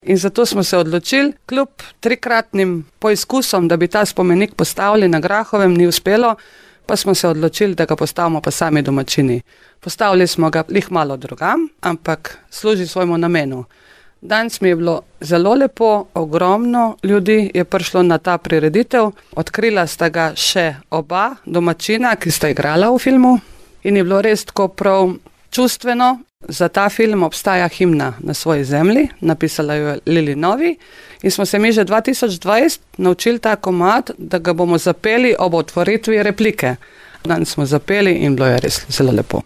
In zato smo se odločili, kljub 3-kratnim poizkusom, da bi ta spomenik postavili na Grahovem, ni uspelo, pa smo se odločili, da ga postavimo pa sami domačini. Postavili smo ga lih malo drugam, ampak služi svojemu namenu. Danes mi je bilo zelo lepo, ogromno ljudi je prišlo na ta prireditev, odkrila sta ga še oba domačina, ki sta igrala v filmu in je bilo res tako prav čustveno. Za ta film obstaja himna Na svoji zemlji, napisala jo je Lili Novi in smo se mi že 2020 naučili ta komad, da ga bomo zapeli ob otvoritvi replike. Danes smo zapeli in bilo je res zelo lepo.